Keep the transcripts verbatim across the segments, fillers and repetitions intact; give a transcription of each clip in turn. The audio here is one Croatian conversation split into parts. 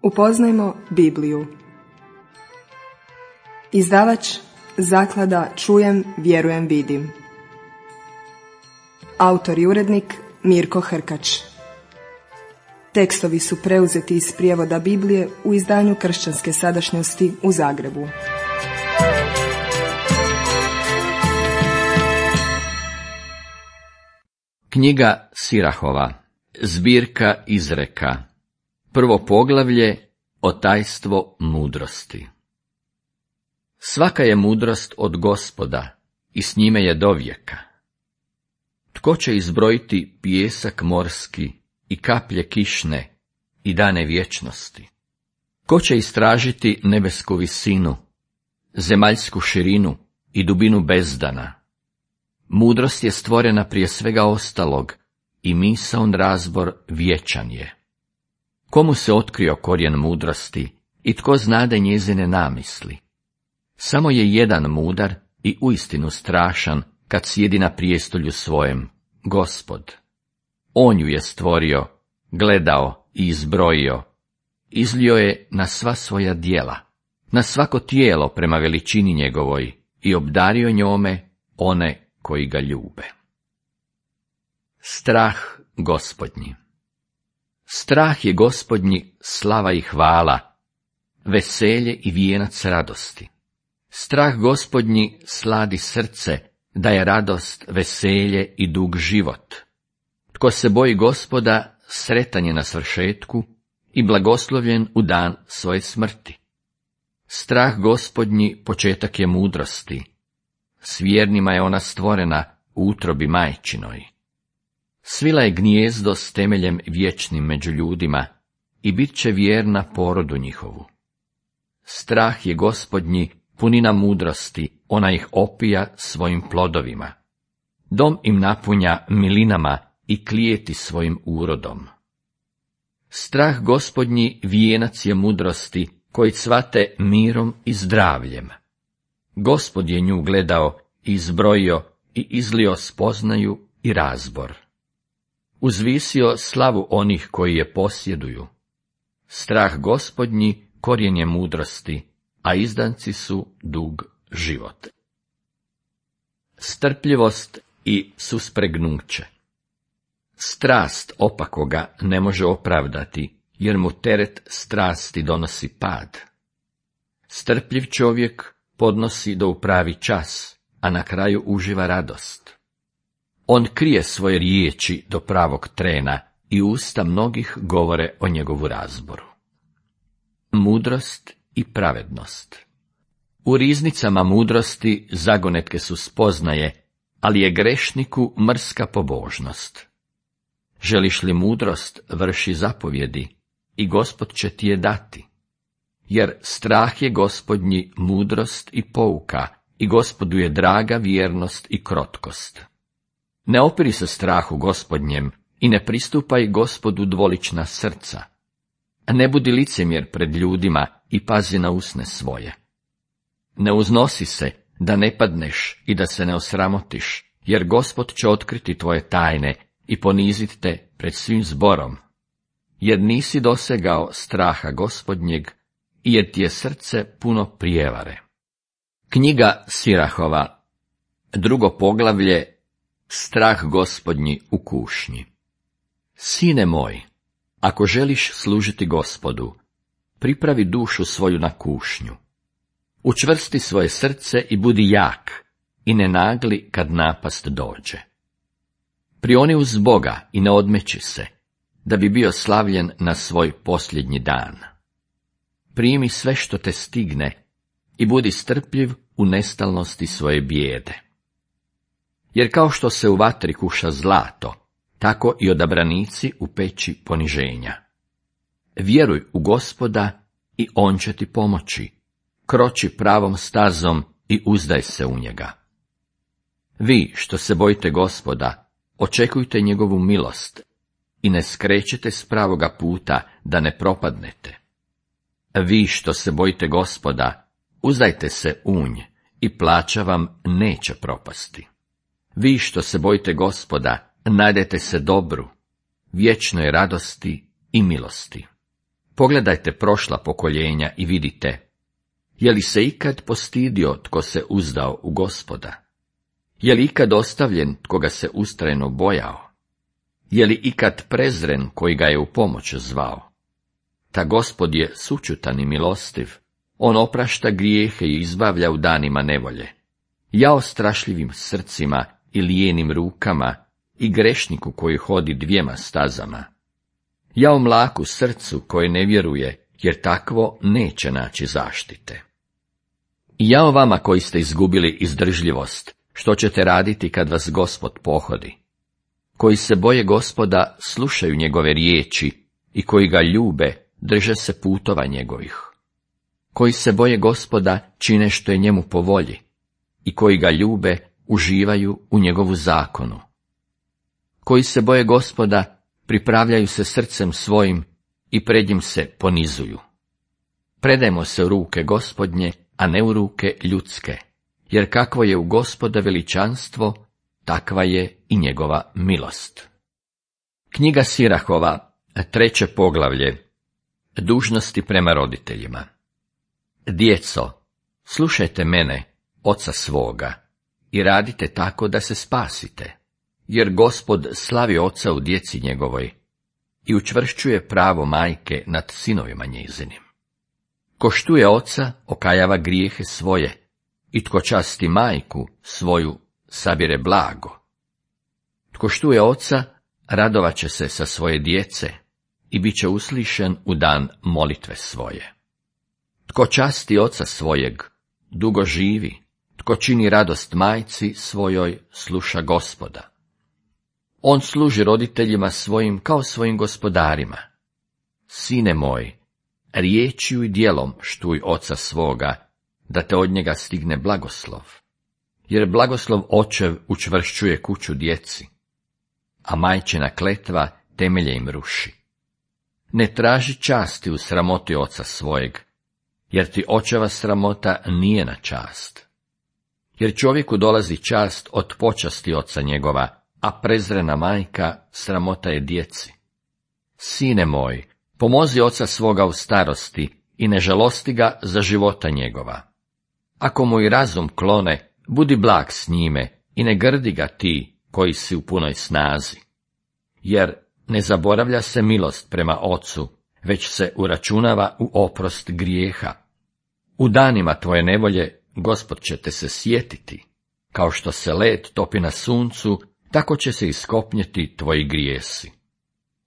Upoznajmo Bibliju. Izdavač Zaklada Čujem, vjerujem, vidim. Autor i urednik Mirko Hrkač. Tekstovi su preuzeti iz prijevoda Biblije u izdanju Kršćanske sadašnjosti u Zagrebu. Knjiga Sirahova, zbirka izreka, prvo poglavlje o tajstvo mudrosti. Svaka je mudrost od Gospoda i s njime je dovijeka. Tko će izbrojiti pijesak morski i kaplje kišne i dane vječnosti? Ko će istražiti nebesku visinu, zemaljsku širinu i dubinu bezdana? Mudrost je stvorena prije svega ostalog i misaon razbor vječan je. Komu se otkrio korijen mudrosti i tko znade njezine namisli? Samo je jedan mudar i uistinu strašan kad sjedi na prijestolju svojem, Gospod. On ju je stvorio, gledao i izbrojio, izlio je na sva svoja djela, na svako tijelo prema veličini njegovoj i obdario njome one koji ga ljube. Strah Gospodnji. Strah je Gospodnji slava i hvala, veselje i vijenac radosti. Strah Gospodnji sladi srce, da je radost, veselje i dug život. Tko se boji Gospoda, sretan je na svršetku i blagoslovljen u dan svoje smrti. Strah Gospodnji početak je mudrosti. S vjernima je ona stvorena u utrobi majčinoj. Svila je gnijezdo s temeljem vječnim među ljudima i bit će vjerna porodu njihovu. Strah je Gospodnji punina mudrosti, ona ih opija svojim plodovima. Dom im napunja milinama i klijeti svojim urodom. Strah Gospodnji vijenac je mudrosti, koji cvate mirom i zdravljem. Gospod je nju gledao i izbrojio i izlio spoznaju i razbor. Uzvisio slavu onih koji je posjeduju. Strah Gospodnji korijen je mudrosti, a izdanci su dug život. Strpljivost i suspregnuće. Strast opakoga ne može opravdati, jer mu teret strasti donosi pad. Strpljiv čovjek podnosi do u pravi čas, a na kraju uživa radost. On krije svoje riječi do pravog trena i usta mnogih govore o njegovu razboru. Mudrost i pravednost. U riznicama mudrosti zagonetke su spoznaje, ali je grešniku mrska pobožnost. Želiš li mudrost, vrši zapovjedi i Gospod će ti je dati. Jer strah je Gospodnji mudrost i pouka, i Gospodu je draga vjernost i krotkost. Ne opiri se strahu Gospodnjem i ne pristupaj Gospodu dvolična srca. Ne budi licemjer pred ljudima i pazi na usne svoje. Ne uznosi se da ne padneš i da se ne osramotiš, jer Gospod će otkriti tvoje tajne i poniziti te pred svim zborom. Jer nisi dosegao straha Gospodnjeg, i jer ti je srce puno prijevare. Knjiga Sirahova, drugo poglavlje, strah Gospodnji u kušnji. Sine moj, ako želiš služiti Gospodu, pripravi dušu svoju na kušnju. Učvrsti svoje srce i budi jak, i ne nagli kad napast dođe. Prioni uz Boga i ne odmeći se, da bi bio slavljen na svoj posljednji dan. Primi sve što te stigne i budi strpljiv u nestalnosti svoje bijede. Jer kao što se u vatri kuša zlato, tako i odabranici u peći poniženja. Vjeruj u Gospoda i on će ti pomoći. Kroči pravom stazom i uzdaj se u njega. Vi što se bojite Gospoda, očekujte njegovu milost i ne skrećete s pravoga puta da ne propadnete. Vi što se bojite Gospoda, uzdajte se u nj i plaća vam neće propasti. Vi što se bojite Gospoda, najdete se dobru, vječnoj radosti i milosti. Pogledajte prošla pokoljenja i vidite, je li se ikad postidio tko se uzdao u Gospoda? Je li ikad ostavljen tko ga se ustrajno bojao? Je li ikad prezren koji ga je u pomoć zvao? Ta Gospod je sućutan i milostiv, on oprašta grijehe i izbavlja u danima nevolje. Jao strašljivim srcima i lijenim rukama i grešniku koji hodi dvijema stazama. Jao mlaku srcu koje ne vjeruje, jer takvo neće naći zaštite. Jao vama koji ste izgubili izdržljivost, što ćete raditi kad vas Gospod pohodi? Koji se boje Gospoda, slušaju njegove riječi i koji ga ljube, drže se putova njegovih. Koji se boje Gospoda, čine što je njemu po volji i koji ga ljube, uživaju u njegovu zakonu. Koji se boje Gospoda, pripravljaju se srcem svojim i pred njim se ponizuju. Predajmo se u ruke Gospodnje, a ne u ruke ljudske, jer kakvo je u Gospoda veličanstvo, takva je i njegova milost. Knjiga Sirahova, treće poglavlje, dužnosti prema roditeljima. Djeco, slušajte mene, oca svoga, i radite tako da se spasite, jer Gospod slavi oca u djeci njegovoj i učvršćuje pravo majke nad sinovima njezinim. Ko štuje oca, okajava grijehe svoje, i tko časti majku svoju, sabire blago. Tko štuje oca, radovat će se sa svoje djece i bit će uslišen u dan molitve svoje. Tko časti oca svojeg, dugo živi, tko čini radost majci svojoj, sluša Gospoda. On služi roditeljima svojim kao svojim gospodarima. Sine moj, riječju i djelom štuj oca svoga, da te od njega stigne blagoslov. Jer blagoslov očev učvršćuje kuću djeci, a majčina kletva temelje im ruši. Ne traži časti u sramoti oca svojeg, jer ti očeva sramota nije na čast. Jer čovjeku dolazi čast od počasti oca njegova, a prezrena majka sramota je djeci. Sine moj, pomozi oca svoga u starosti i ne žalosti ga za života njegova. Ako mu i razum klone, budi blag s njime i ne grdi ga ti koji si u punoj snazi. Jer ne zaboravlja se milost prema ocu, već se uračunava u oprost grijeha. U danima tvoje nevolje Gospod će te se sjetiti, kao što se led topi na suncu, tako će se iskopnjeti tvoji grijesi.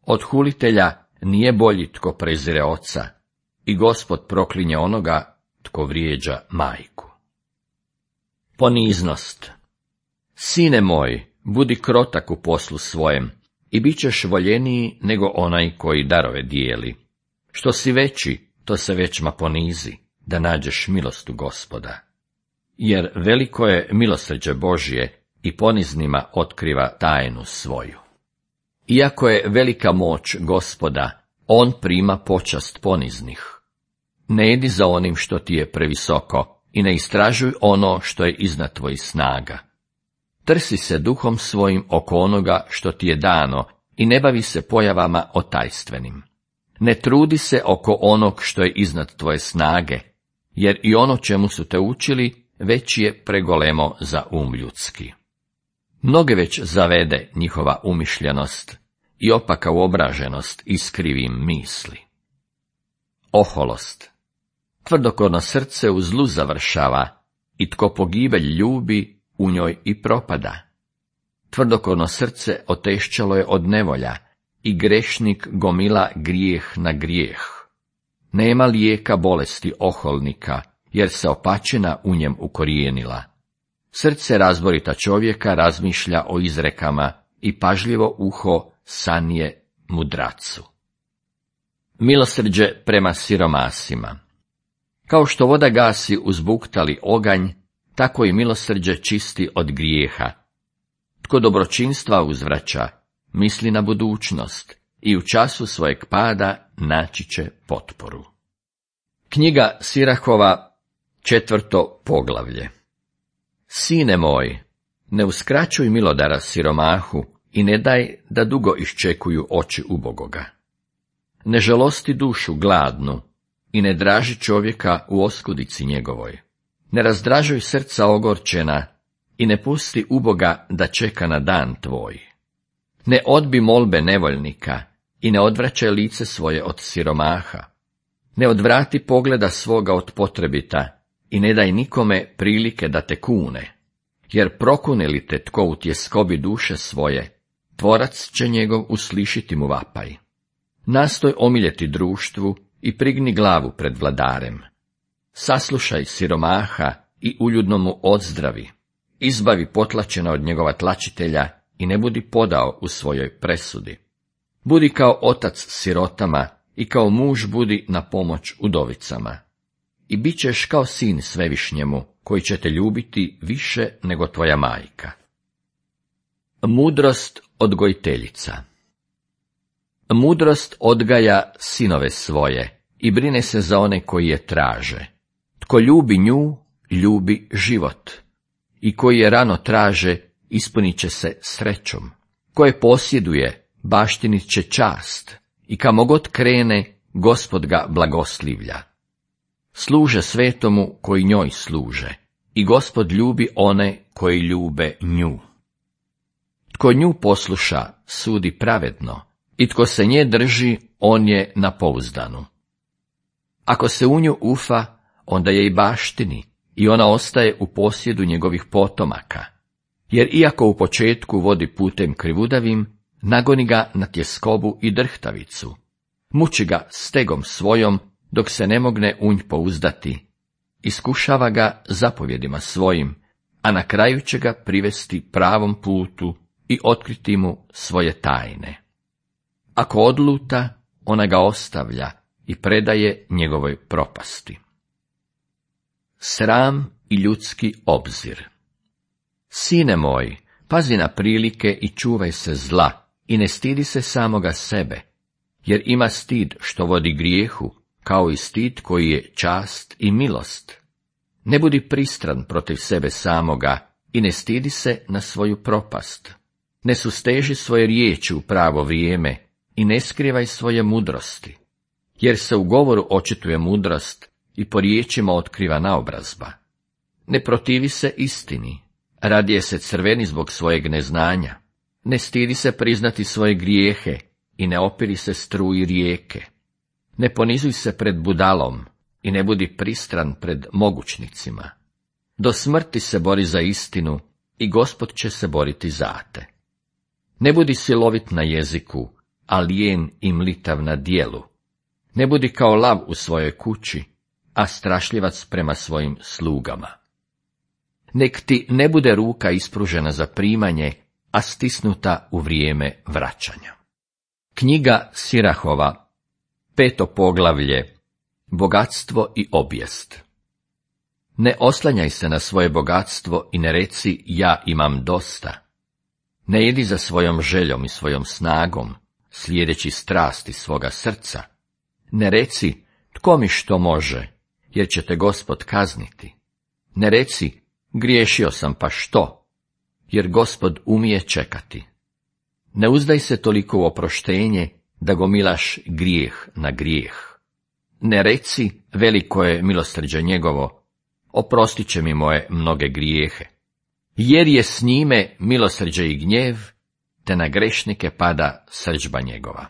Od hulitelja nije bolji tko prezire oca, i Gospod proklinje onoga tko vrijeđa majku. Poniznost. Sine moj, budi krotak u poslu svojem, i bit ćeš voljeniji nego onaj koji darove dijeli. Što si veći, to se većma ponizi, da nađeš milost u Gospoda. Jer veliko je milosrđe Božje i poniznima otkriva tajnu svoju. Iako je velika moć Gospoda, on prima počast poniznih. Ne idi za onim što ti je previsoko i ne istražuj ono što je iznad tvojih snaga. Trsi se duhom svojim oko onoga što ti je dano i ne bavi se pojavama otajstvenim. Ne trudi se oko onog što je iznad tvoje snage, jer i ono čemu su te učili već je pregolemo za um ljudski. Mnoge već zavede njihova umišljenost i opaka uobraženost iskrivim misli. Oholost. Tvrdokorno srce u zlu završava i tko pogibelj ljubi, u njoj i propada. Tvrdokorno srce otešćalo je od nevolja i grešnik gomila grijeh na grijeh. Nema lijeka bolesti oholnika, jer se opačina u njem ukorijenila. Srce razborita čovjeka razmišlja o izrekama i pažljivo uho sanje mudracu. Milosrđe prema siromasima. Kao što voda gasi uzbuktali oganj, tako i milosrđe čisti od grijeha. Tko dobročinstva uzvraća, misli na budućnost i u času svojeg pada naći će potporu. Knjiga Sirahova, četvrto poglavlje. Sine moj, ne uskraćuj milodara siromahu i ne daj da dugo iščekuju oči ubogoga. Ne žalosti dušu gladnu i ne draži čovjeka u oskudici njegovoj. Ne razdražuj srca ogorčena i ne pusti uboga da čeka na dan tvoj. Ne odbi molbe nevoljnika i ne odvraćaj lice svoje od siromaha. Ne odvrati pogleda svoga od potrebita i ne daj nikome prilike da te kune, jer prokune li te tko u tjeskobi duše svoje, tvorac će njegov uslišiti mu vapaj. Nastoj omiljeti društvu i prigni glavu pred vladarem. Saslušaj siromaha i uljudno mu odzdravi. Izbavi potlačena od njegova tlačitelja i ne budi podao u svojoj presudi. Budi kao otac sirotama i kao muž budi na pomoć udovicama. I bit ćeš kao sin svevišnjemu, koji će te ljubiti više nego tvoja majka. Mudrost odgojiteljica. Mudrost odgaja sinove svoje i brine se za one koji je traže. Tko ljubi nju, ljubi život. I koji je rano traže, ispunit će se srećom. Ko je posjeduje, baštinit će čast. I kamo god krene, Gospod ga blagoslivlja. Služe svetomu koji njoj služe. I Gospod ljubi one koji ljube nju. Tko nju posluša, sudi pravedno. I tko se nje drži, on je na pouzdanu. Ako se u nju ufa, onda je i baštini, i ona ostaje u posjedu njegovih potomaka. Jer iako u početku vodi putem krivudavim, nagoni ga na tjeskobu i drhtavicu. Muči ga stegom svojom, dok se ne mogne u nj pouzdati. Iskušava ga zapovjedima svojim, a na kraju će ga privesti pravom putu i otkriti mu svoje tajne. Ako odluta, ona ga ostavlja i predaje njegovoj propasti. Sram i ljudski obzir. Sine moj, pazi na prilike i čuvaj se zla i ne stidi se samoga sebe, jer ima stid što vodi grijehu, kao i stid koji je čast i milost. Ne budi pristran protiv sebe samoga i ne stidi se na svoju propast. Ne susteži svoje riječi u pravo vrijeme i ne skrivaj svoje mudrosti, jer se u govoru očituje mudrost i po riječima otkriva naobrazba. Ne protivi se istini, radije se crveni zbog svojeg neznanja. Ne stidi se priznati svoje grijehe i ne opiri se struji rijeke. Ne ponizuj se pred budalom i ne budi pristran pred mogućnicima. Do smrti se bori za istinu i Gospod će se boriti za te. Ne budi silovit na jeziku, a lijen i mlitav na dijelu. Ne budi kao lav u svojoj kući, a strašljivac prema svojim slugama. Nek ti ne bude ruka ispružena za primanje, a stisnuta u vrijeme vraćanja. Knjiga Sirahova, peto poglavlje, bogatstvo i obijest. Ne oslanjaj se na svoje bogatstvo i ne reci ja imam dosta. Ne jedi za svojom željom i svojom snagom, slijedeći strasti svoga srca. Ne reci tko mi što može, jer će te Gospod kazniti. Ne reci griješio sam pa što, jer Gospod umije čekati. Ne uzdaj se toliko u oproštenje, da gomilaš grijeh na grijeh. Ne reci veliko je milosrđe njegovo, oprostit će mi moje mnoge grijehe. Jer je s njime milosrđe i gnjev, te na grešnike pada srdžba njegova.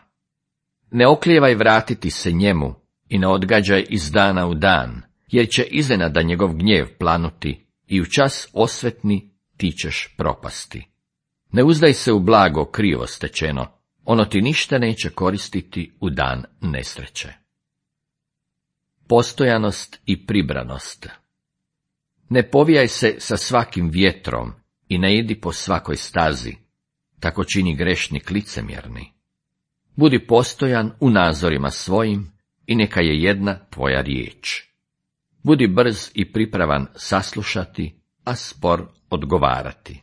Ne oklijevaj vratiti se njemu i ne odgađaj iz dana u dan, jer će iznenada njegov gnjev planuti i u čas osvetni ti ćeš propasti. Ne uzdaj se u blago krivo stečeno, ono ti ništa neće koristiti u dan nesreće. Postojanost i pribranost. Ne povijaj se sa svakim vjetrom i ne idi po svakoj stazi, tako čini grešnik licemjerni. Budi postojan u nazorima svojim i neka je jedna tvoja riječ. Budi brz i pripravan saslušati, a spor odgovarati.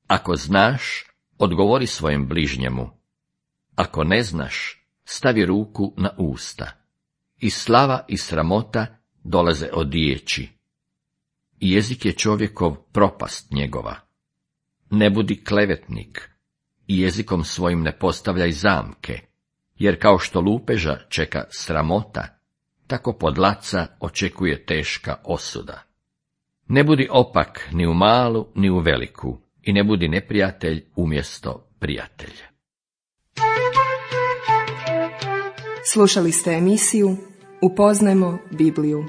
Ako znaš, odgovori svojem bližnjemu. Ako ne znaš, stavi ruku na usta. I slava i sramota dolaze od riječi. I jezik je čovjekov propast njegova. Ne budi klevetnik i jezikom svojim ne postavljaj zamke, jer kao što lupeža čeka sramota, tako podlaca očekuje teška osuda. Ne budi opak ni u malu, ni u veliku, i ne budi neprijatelj umjesto prijatelja. Slušali ste emisiju Upoznajmo Bibliju.